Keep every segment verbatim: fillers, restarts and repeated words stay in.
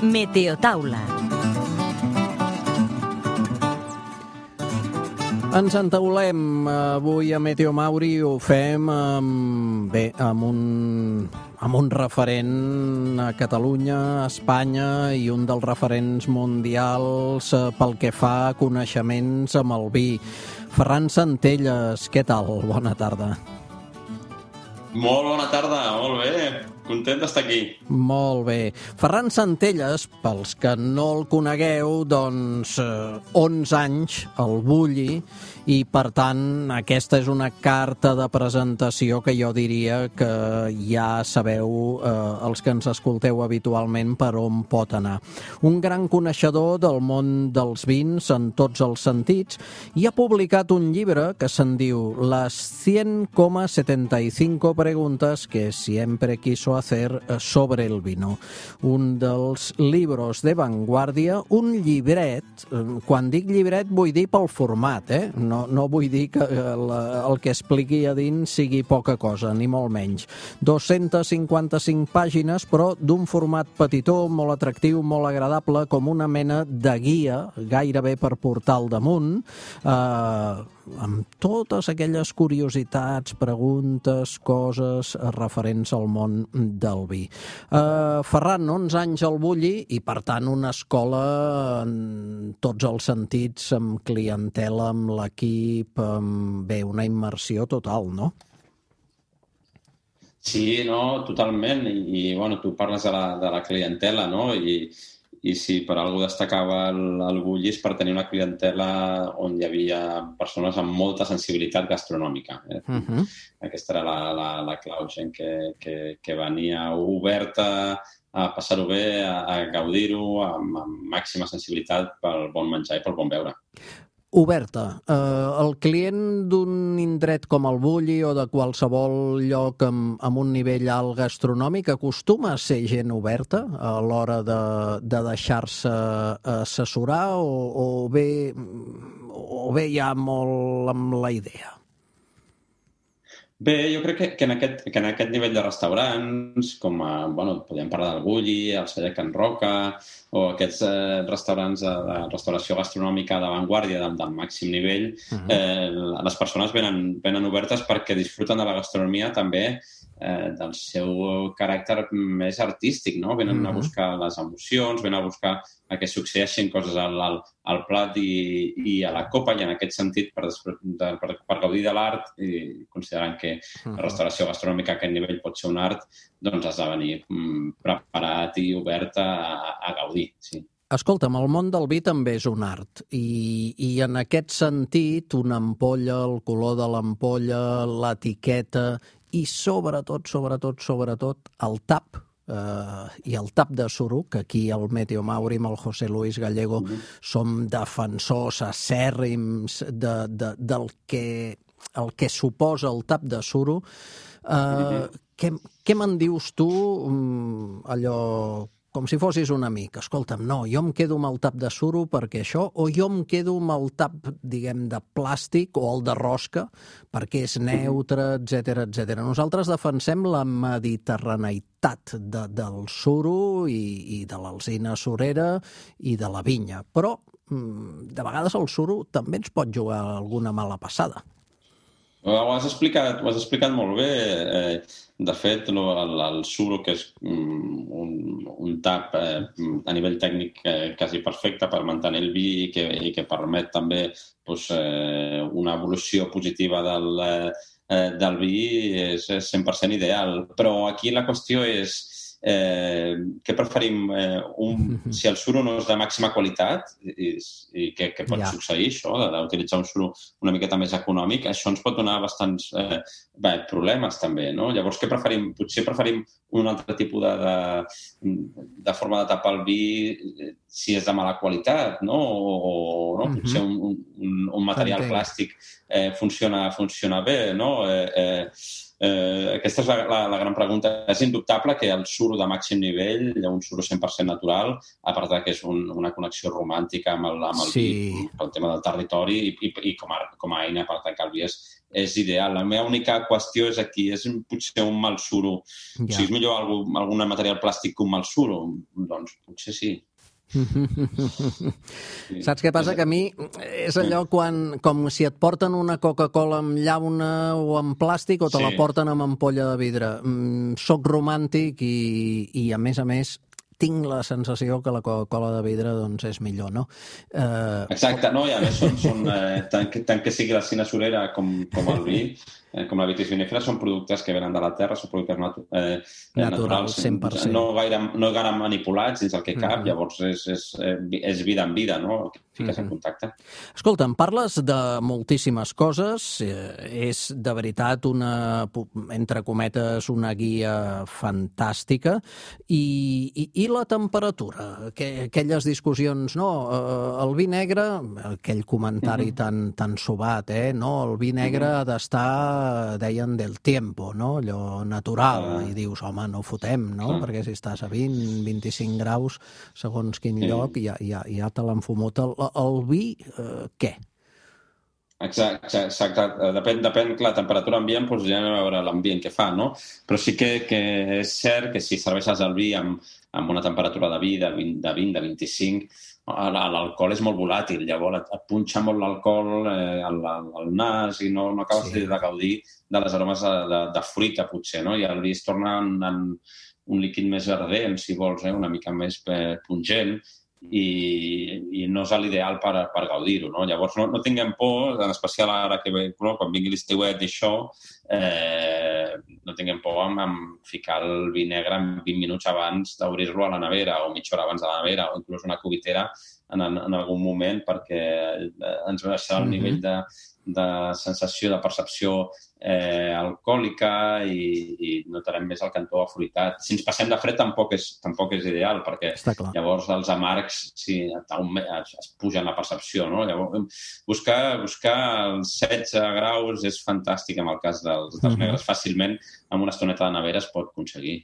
Meteotaula. Ens entaulem avui a Meteo Mauri, ho fem amb, bé, amb un, amb un referent a Catalunya, a Espanya i un dels referents mundials pel que fa a coneixements amb el vi. Ferran Centelles, què tal? Bona tarda. Molt bona tarda, molt bé. Content d'estar aquí. Molt bé. Ferran Centelles, pels que no el conegueu, doncs eh, onze anys al Bulli, i per tant aquesta és una carta de presentació que jo diria que ja sabeu, eh, els que ens escolteu habitualment, per on pot anar. Un gran coneixedor del món dels vins en tots els sentits, i ha publicat un llibre que se'n diu Las cien coma setenta y cinco preguntas que siempre quiso hacer sobre el vino. Un dels libros de vanguardia, un llibret, quan dic llibret vull dir pel format, eh? No, no vull dir que la, el que expliqui a dins sigui poca cosa, ni molt menys. dos-centes cinquanta-cinc pàgines, però d'un format petitó, molt atractiu, molt agradable, com una mena de guia, gairebé per portar al damunt, eh, amb totes aquelles curiositats, preguntes, coses referents al món del vi. Uh, Ferran, onze anys al Bulli i, per tant, una escola en tots els sentits, amb clientela, amb l'equip, amb, bé, una immersió total, no? Sí, no, totalment. I, i bueno, tu parles de la, de la clientela, no? I, i si per algú destacava el, el Bulli és per tenir una clientela on hi havia persones amb molta sensibilitat gastronòmica. Eh? Uh-huh. Aquesta era la, la, la clau, gent que, que, que venia oberta a passar-ho bé, a, a gaudir-ho, amb, amb màxima sensibilitat pel bon menjar i pel bon beure. Oberta. Eh, el client d'un indret com el Bulli o de qualsevol lloc amb, amb un nivell alt gastronòmic acostuma a ser gent oberta a l'hora de, de deixar-se assessorar o, o, bé, o bé ja molt amb la idea? Bé, jo crec que, que, en aquest, que en aquest nivell de restaurants, com a, bueno, podríem parlar del Bulli, el Celler Can Roca, o aquests eh, restaurants de, de restauració gastronòmica d'avantguàrdia del, del màxim nivell, uh-huh. eh, les persones venen, venen obertes perquè disfruten de la gastronomia també eh, del seu caràcter més artístic, no? Venen uh-huh. a buscar les emocions, venen a buscar a que succeeixin coses al, al, al plat i, i a la copa, i en aquest sentit, per, de, per, per gaudir de l'art, i considerant que la restauració gastronòmica a aquest nivell pot ser un art, doncs has de venir mm, preparat i obert a, a gaudir. Sí. Escolta'm, el món del vi també és un art, i, i en aquest sentit, una ampolla, el color de l'ampolla, l'etiqueta i sobretot, sobretot, sobretot, el tap, Uh, i el tap de suro, que aquí al Meteo Mauri amb el José Luis Gallego uh-huh. som defensors acèrrims de, de, del que, el que suposa el tap de suro. Uh, uh-huh. Què, què me'n dius tu, um, allò com si fossis un amic? Escolta'm, no, jo em quedo amb el tap de suro perquè això, o jo em quedo amb el tap, diguem, de plàstic o el de rosca perquè és neutre, etcètera, etcètera. Nosaltres defensem la mediterraneïtat de, del suro i, i de l'alzina surera i de la vinya, però de vegades el suro també ens pot jugar alguna mala passada. Ho has explicat, ho has explicat molt bé. Eh, de fet, el, el suro, que és un, un tap eh, a nivell tècnic eh, quasi perfecte per mantenir el vi i que, i que permet també doncs, eh, una evolució positiva del, eh, del vi, és, és cent per cent ideal. Però aquí la qüestió és Eh, què preferim? Eh, un, si el suro no és de màxima qualitat, i, i que, que pot yeah. succeir això, d'utilitzar un suro una miqueta més econòmic, això ens pot donar bastants eh, bé, problemes també, no? Llavors, què preferim? Potser preferim un altre tipus de, de, de forma de tapar el vi si és de mala qualitat, no? O, no? Mm-hmm. Potser un, un, un material Entenc. plàstic eh, funciona, funciona bé, no? Eh, eh, Eh, aquesta és la, la, la gran pregunta. És indubtable que el suro de màxim nivell, un suro cent per cent natural, a part que és un, una connexió romàntica amb el, amb el Sí. vi, pel tema del territori, i, i, i com, a, com a eina per tancar el vi és, és ideal. La meva única qüestió és aquí, és potser un mal suro. Ja. O sigui, és millor algú, algun material plàstic que un mal suro? Doncs potser sí. Sí. Saps què passa? Que a mi és allò quan, com si et porten una Coca-Cola amb llauna o amb plàstic o te sí. la porten amb ampolla de vidre. Mm, soc romàntic i, i a més a més tinc la sensació que la Coca-Cola de vidre doncs, és millor, no? Eh... Exacte, no? I a més, són, són, eh, tant, que, tant que sigui la cina surera com, com el vi, eh, com la vitis vinifera, són productes que venen de la terra, són productes natu eh, naturals, cent per cent. No gaire, no gaire manipulats dins el que cap, mm-hmm. llavors és, és, és vida en vida, no? Que fiques mm-hmm. en contacte. Escolta, em parles de moltíssimes coses, eh, és de veritat una, entre cometes, una guia fantàstica, i, i, i la temperatura, que, aquelles discussions, no, el vi negre, aquell comentari mm-hmm. tan, tan sobat, eh, no, el vi negre mm-hmm. ha d'estar, deien, del tiempo, no, allò natural, ah. i dius, home, no fotem, no, ah. perquè si estàs a vint, vint-i-cinc graus, segons quin sí. lloc, ja, ja, ja te l'han fumut. El, el vi, eh, què? Exacte, exacte. Depèn, depèn, clar, la temperatura ambient, doncs ja a veure l'ambient que fa, no? Però sí que, que és cert que si serveixes el vi amb, amb una temperatura de vi de vint, de, vint, de vint-i-cinc, l'alcohol és molt volàtil, llavors et, et punxa molt l'alcohol eh, al, al nas i no, no acabes sí. de gaudir de les aromes de, de, de fruita, potser, no? I el vi es torna en, en un líquid més ardent, si vols, eh? Una mica més eh, pungent, i, i no és l'ideal per, per gaudir-ho, no? Llavors no, no tinguem por, en especial ara que no, quan vingui l'estiuet i això, eh, no tinguem por amb, amb ficar el vi negre en vint minuts abans d'obrir-lo a la nevera o mitja hora abans de la nevera o inclús una cubitera en, en, en algun moment perquè ens baixarà el nivell de, de sensació, de percepció eh, alcohòlica i, i notarem més el cantó afruitat. Si ens passem de fred tampoc és, tampoc és ideal perquè llavors els amargs sí, es, es pugen la percepció, no? Llavors, buscar, buscar els setze graus és fantàstic en el cas dels, dels negres. Fàcilment, amb una estoneta de nevera es pot aconseguir.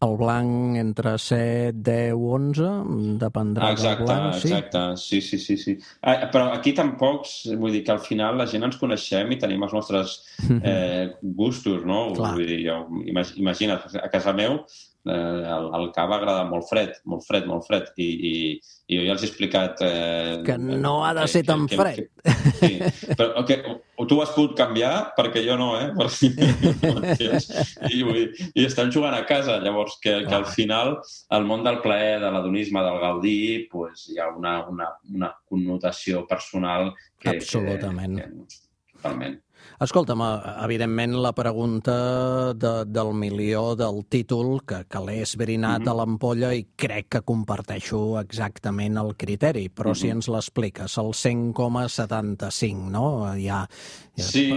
El blanc entre set, deu, onze, dependrà exacte, del blanc, sí? Exacte, sí, sí, sí. sí. Ah, però aquí tampoc, vull dir que al final la gent ens coneixem i tenim els nostres eh, gustos, no? Clar. Vull dir, jo, imagina't, a casa meu eh, el, el cava agrada molt fred, molt fred, molt fred, i, i, i jo ja els he explicat... Eh, que no ha de ser que, tan que, fred. Que, sí, però okay, tu has pogut canviar, perquè jo no, eh? I, i, i estan jugant a casa, llavors que, que al final el món del plaer, de l'adonisme, del gaudir, pues, hi ha una, una, una connotació personal que... Absolutament. Que, que, totalment. Escolta'm, evidentment la pregunta de, del milió del títol, que, que l'he esbrinat mm-hmm. a l'ampolla i crec que comparteixo exactament el criteri, però mm-hmm. si ens l'expliques, el cent coma setanta-cinc, no? Ja, ja... Sí...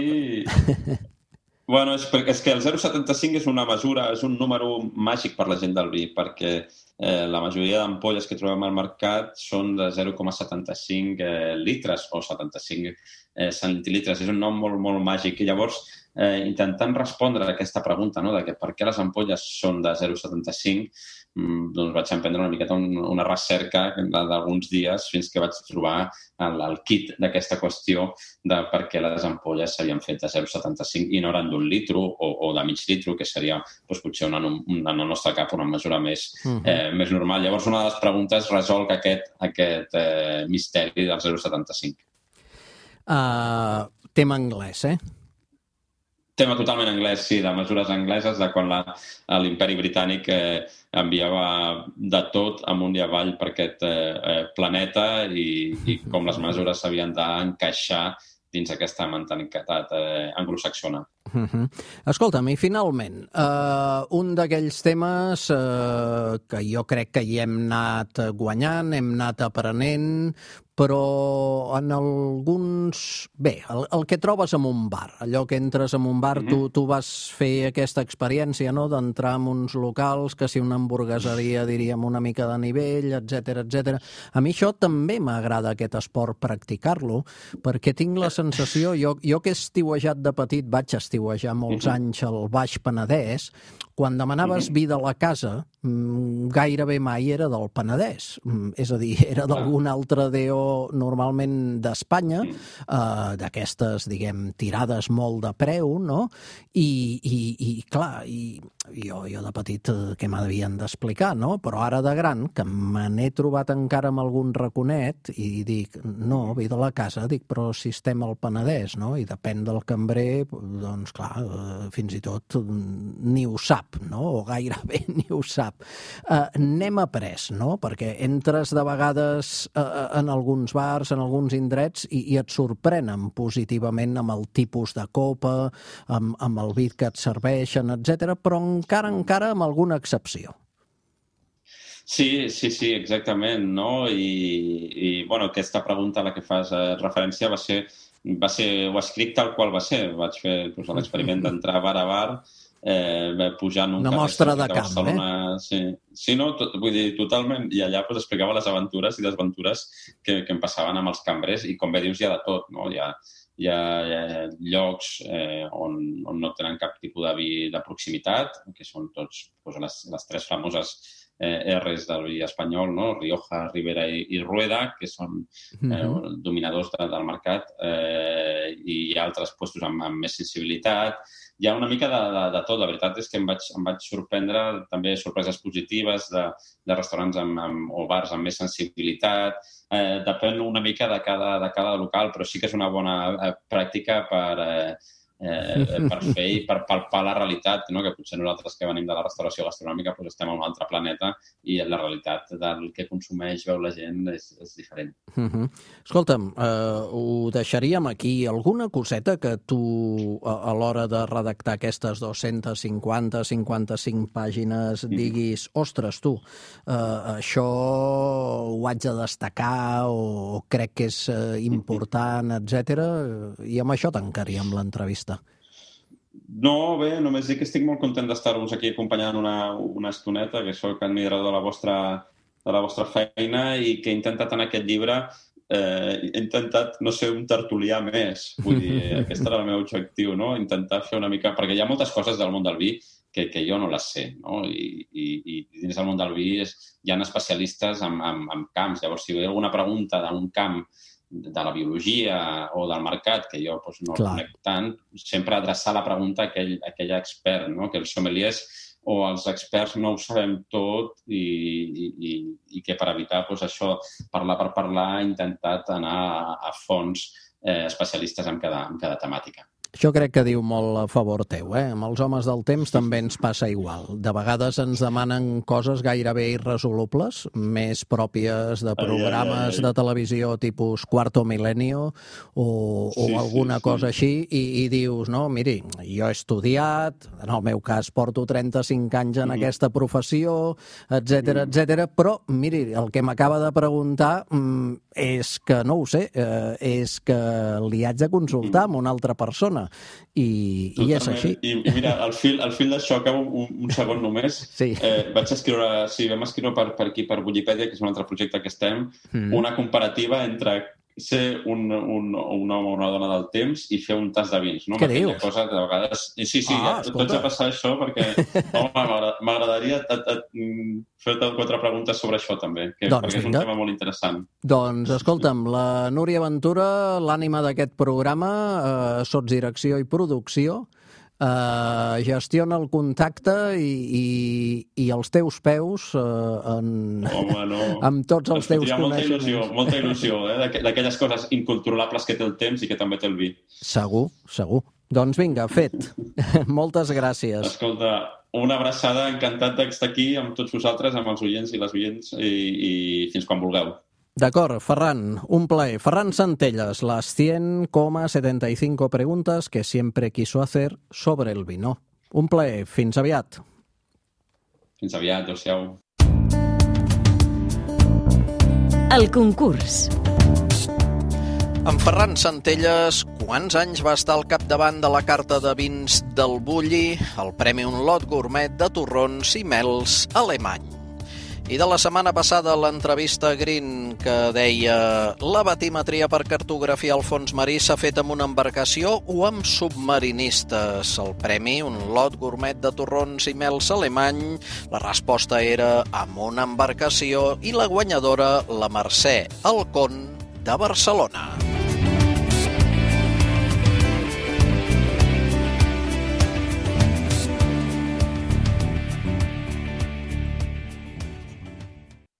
Bueno, és, és que el zero coma setanta-cinc és una mesura, és un número màgic per la gent del vi, perquè eh, la majoria d'ampolles que trobem al mercat són de zero coma setanta-cinc eh, litres o setanta-cinc eh, centilitres. És un nom molt, molt màgic. I llavors, eh, intentant respondre a aquesta pregunta, no?, de que per què les ampolles són de zero coma setanta-cinc, doncs vaig emprendre una miqueta un, una recerca d'alguns dies fins que vaig trobar el, el kit d'aquesta qüestió de per què les ampolles s'havien fet de zero coma setanta-cinc i no eren d'un litro o, o de mig litro, que seria doncs, potser una, una, en el nostre cap una mesura més, uh-huh. eh, més normal. Llavors, una de les preguntes resol aquest, aquest eh, misteri del zero coma setanta-cinc. Uh, tema anglès, eh? Tema totalment anglès, sí, de mesures angleses, de quan l'imperi britànic eh, enviava de tot amunt i avall per aquest eh, planeta i, i com les mesures s'havien d'encaixar dins aquesta mentalitat eh, anglosaxona. Uh-huh. Escolta'm, i finalment, uh, un d'aquells temes uh, que jo crec que hi hem anat guanyant, hem anat aprenent, però en alguns... Bé, el, el que trobes en un bar, allò que entres en un bar, uh-huh. tu, tu vas fer aquesta experiència, no?, d'entrar en uns locals, que si una hamburgueseria, diríem, una mica de nivell, etcètera, etcètera. A mi això també m'agrada, aquest esport, practicar-lo, perquè tinc la sensació... Jo, jo que he estiuejat de petit, vaig estiuejar estiuejar molts uh-huh. anys al Baix Penedès, quan demanaves uh-huh. vi de la casa, gairebé mai era del Penedès. És a dir, era d'algun altre D O normalment d'Espanya, eh, d'aquestes, diguem, tirades molt de preu, no? I, i, i clar, i jo, jo de petit què m'havien d'explicar, no? Però ara de gran, que me n'he trobat encara amb algun raconet i dic, no, vi de la casa, dic, però si estem al Penedès, no? I depèn del cambrer, doncs clar, fins i tot ni ho sap, no? O gairebé ni ho sap. Uh, n'hem après, no? Perquè entres de vegades uh, en alguns bars, en alguns indrets, i, i et sorprenen positivament amb el tipus de copa, amb, amb el vi que et serveixen, etcètera, però encara, encara amb alguna excepció. Sí, sí, sí, exactament, no? I, i bueno, aquesta pregunta a la que fas eh, referència va ser, va ser, ho escric tal qual va ser. Vaig fer doncs, l'experiment d'entrar bar a bar, eh, pujar en un una mostra de camp, eh? Sí, sí no, tot, vull dir, totalment. I allà pues, explicava les aventures i desventures que, que em passaven amb els cambrers i, com bé dius, hi ha de tot, no? Hi ha, hi ha, hi ha llocs eh, on, on no tenen cap tipus de vi de proximitat, que són tots pues, les, les tres famoses eh, R's del vi espanyol, no? Rioja, Ribera i, i Rueda, que són eh, mm-hmm. dominadors de, del mercat, eh, i hi ha altres puestos amb, amb més sensibilitat. Hi ha una mica de, de, de tot. La veritat és que em vaig, em vaig sorprendre també sorpreses positives de, de restaurants amb, amb, o bars amb més sensibilitat. Eh, depèn una mica de cada, de cada local, però sí que és una bona eh, pràctica per, eh, eh, per fer i per palpar la realitat, no? Que potser nosaltres que venim de la restauració gastronòmica doncs estem en un altre planeta i la realitat del que consumeix, veu la gent, és, és diferent. Uh-huh. Escolta'm, eh, ho deixaríem aquí. Alguna coseta que tu, a, a l'hora de redactar aquestes dues-centes cinquanta cinquanta-cinc pàgines, diguis, ostres, tu, eh, això ho haig de destacar o crec que és eh, important, etcètera, i amb això tancaríem l'entrevista. No, bé, només dic que estic molt content d'estar-vos aquí acompanyant una, una estoneta, que soc admirador de la vostra, de la vostra feina i que he intentat en aquest llibre, eh, he intentat no ser un tertulià més. Vull dir, aquest era el meu objectiu, no? Intentar fer una mica... Perquè hi ha moltes coses del món del vi que, que jo no les sé, no? I, i, i dins del món del vi és, hi ha especialistes en, en, en camps. Llavors, si hi ha alguna pregunta d'un camp de la biologia o del mercat, que jo doncs, no Clar. el conec tant, sempre adreçar la pregunta a aquell, a aquell expert, no? Que els sommeliers o els experts no ho sabem tot i, i, i que per evitar doncs, això, parlar per parlar, he intentat anar a, a fons eh, especialistes en cada, en cada temàtica. Això crec que diu molt a favor teu, eh? Amb els homes del temps també ens passa igual. De vegades ens demanen coses gairebé irresolubles, més pròpies de programes ai, ai, ai. de televisió tipus Quarto Milenio o, o sí, alguna sí, cosa sí. així, i, i dius, no, miri, jo he estudiat, en el meu cas porto trenta-cinc anys en mm. aquesta professió, etcètera, mm. etcètera, però, miri, el que m'acaba de preguntar mm, és que, no ho sé, eh, és que li haig de consultar amb una altra persona. I, i és així. I, i mira, al fil, al fil d'això, acabo un, un segon només. Sí. Eh, vaig escriure, sí, vam escriure per, per aquí, per Wikipedia, que és un altre projecte que estem, mm. una comparativa entre ser un, un, un home o una dona del temps i fer un tas de vins. No? Què dius? Cosa de vegades... Sí, sí, ah, ja, tots a passar això, perquè home, m'agradaria fer-te quatre preguntes sobre això també, que, doncs, perquè és un vinga. tema molt interessant. Doncs, escolta'm, la Núria Ventura, l'ànima d'aquest programa, eh, sotsdirecció i producció, Uh, gestiona el contacte i, i, i els teus peus uh, en... Home, no. amb tots els teus coneixements. Molta il·lusió, molta il·lusió eh? d'aquelles coses incontrolables que té el temps i que també té el vi. Segur, segur. Doncs vinga, fet. Moltes gràcies. Escolta, una abraçada, encantat d'estar aquí amb tots vosaltres, amb els oients i les oients, i, i fins quan vulgueu. D'acord, Ferran, un plaer. Ferran Santelles, las cien coma setenta y cinco preguntas que siempre quiso hacer sobre el vino. Un plaer, fins aviat. Fins aviat, adéu-siau. El concurs. En Ferran Santelles, quants anys va estar al capdavant de la carta de vins del Bulli, el Premi Un Lot Gourmet de torrons i mels alemany? I de la setmana passada l'entrevista Green que deia la batimetria per cartografiar el fons marí s'ha fet amb una embarcació o amb submarinistes. El premi, un lot gourmet de torrons i mels alemany, la resposta era amb una embarcació i la guanyadora, la Mercè Alcón de Barcelona.